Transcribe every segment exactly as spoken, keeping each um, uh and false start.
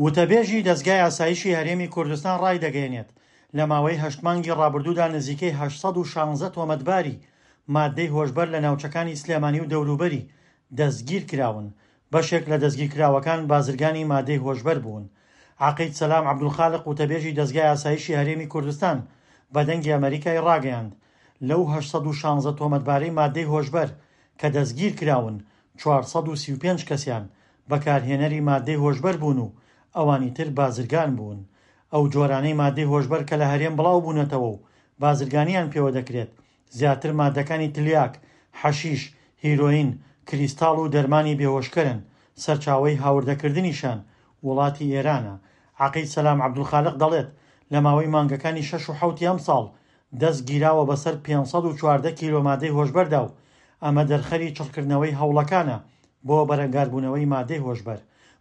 وتەبێژی دەزگای ئاسایشی هەرێمی کوردستان ڕایدەگەیەنێت، لە ماوەی هەشت مانگی ڕابردوودا نزیکەی هەشت سەد و شانزە تۆمەتباری مادەی هۆشبەر لە ناوچەکانی سلێمانی و دەوروبەری دەستگیرکراون، بەشێک لە دەستگیرکراوەکان بازرگانی مادەی هۆشبەر بوون. عەقید سەلام عەبدولخالق وتەبێژی دەزگای ئاسایشی هەرێمی کوردستان بە دەنگی ئەمەریکای ڕاگەیاند، لەو هەشت سەد و شانزە تۆمەتبارەی مادەی هۆشبەر کە دەستگیرکراون چوار سەد و سی و پێنج کەسیان بەکارهێنەری مادەی هۆشبەر بوون و ئەوانی تر بازرگان بوون. ئەو جۆرانەی مادەی هۆشبەر کە لە هەرێم بڵاو بوونەتەوە و بازرگانیان پێوە دەکرێت زیاتر مادەکانی تلیاک، حەشیش، هیرۆین، کریستاڵ و دەرمانی بێهۆشکەرن، سەرچاوەی هاوردەکردنیشان وڵاتی ئێرانە. عەقید سەلام عەبدولخالق دەڵێت، لە ماوەی مانگەکانی شەش و حەوتی ئەمساڵ دەست گیراوە بەسەر پێنج سەد و چواردە کیلۆ مادەی هۆشبەردا و ئەمە دەرخەری چڕکردنەوەی هەوڵەکانە بۆ بەرەنگاربوونەوەی مادەی هۆشبەر.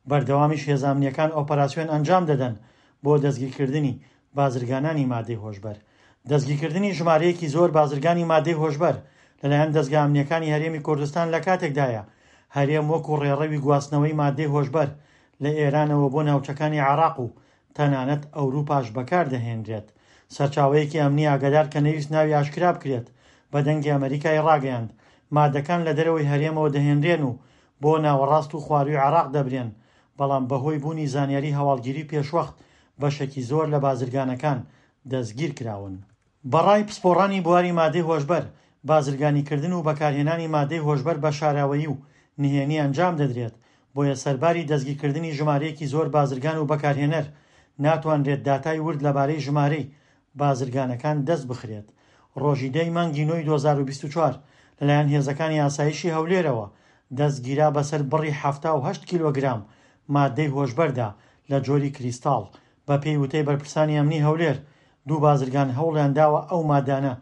بەردەوامیش هێزە ئەمنییەکان ئۆپەراسیۆن ئەنجام دەدەن بۆ دەستگیرکردنی بازرگانانی مادەی هۆشبەر. دەستگیرکردنی ژمارەیەکی زۆر بازرگانی مادەی هۆشبەر لەلایەن دەزگا ئەمنییەکانی هەرێمی کوردستان لە کاتێکدایە هەرێم وەکو ڕێڕەوی گواستنەوەی مادەی هۆشبەر لە ئێرانەوە بۆ ناوچەکانی عێراق و تەنانەت ئەوروپاش بەکاردەهێنرێت. سەرچاوەیەکی ئەمنی ئاگادار کە نەویست ناوی ئاشکرا بکرێت بە دەنگی ئەمەریکای ڕاگەیاند، مادەکان لە دەرەوەی هەرێمەوە دەهێنرێن و بۆ ناوەڕاست و خواروی عێراق دەبرێن، بەڵام بەهۆی بوونی زانیاری هەواڵگیری پێشوەخت بەشێکی زۆر لە بازرگانەکان دەستگیر کراون. بەڕای پسپۆڕانی بواری مادەی هۆشبەر، بازرگانیکردن و بەکارهێنانی مادەی هۆشبەر بە شاراوەیی و نهێنی ئەنجام دەدرێت، بۆیە سەرباری دەستگیرکردنی ژمارەیەکی زۆر بازرگان و بەکارهێنەر ناتوانرێت داتای ورد لەبارەی ژمارەی بازرگانەکان دەست بخرێت. ڕۆژی دەی مانگی نۆی دوو هەزار و بیست و چوار لەلایەن هێزەکانی ئاسایشی هەولێرەوە دەستگیرا بەسەر بڕی حەفتا و هەشت کیلۆگرام مادەی هۆشبەردا لە جۆری کریستاڵ. بەپێی وتەی بەرپرسانی ئەمنی هەولێر، دوو بازرگان هەوڵیان داوە ئەو مادانە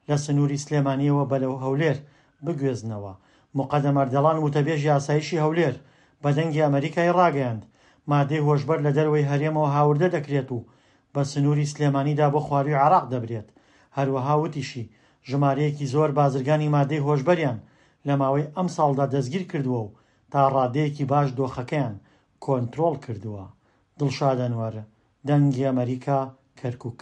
لە سنووری سلێمانیەوە بەرەو هەولێر بگوێزنەوە. مقەدەم ئەردەڵان وتەبێژی ئاسایشی هەولێر بە دەنگی ئەمەریکای ڕاگەیاند، مادەی هۆشبەر لە دەرەوەی هەرێمەوە هاوردە دەکرێت و بە سنووری سلێمانیدا بۆ خواروی عێراق دەبرێت. هەروەها وتیشی ژمارەیەکی زۆر بازرگانی مادەی هۆشبەریان لە ماوەی ئەم ساڵدا دەستگیر کردووە و تا ڕادەیەکی باش دۆخەکەیان کۆنترۆڵ کردووە. دڵشاد ئەنوەر، دەنگی ئەمەریکا، کەرکوک.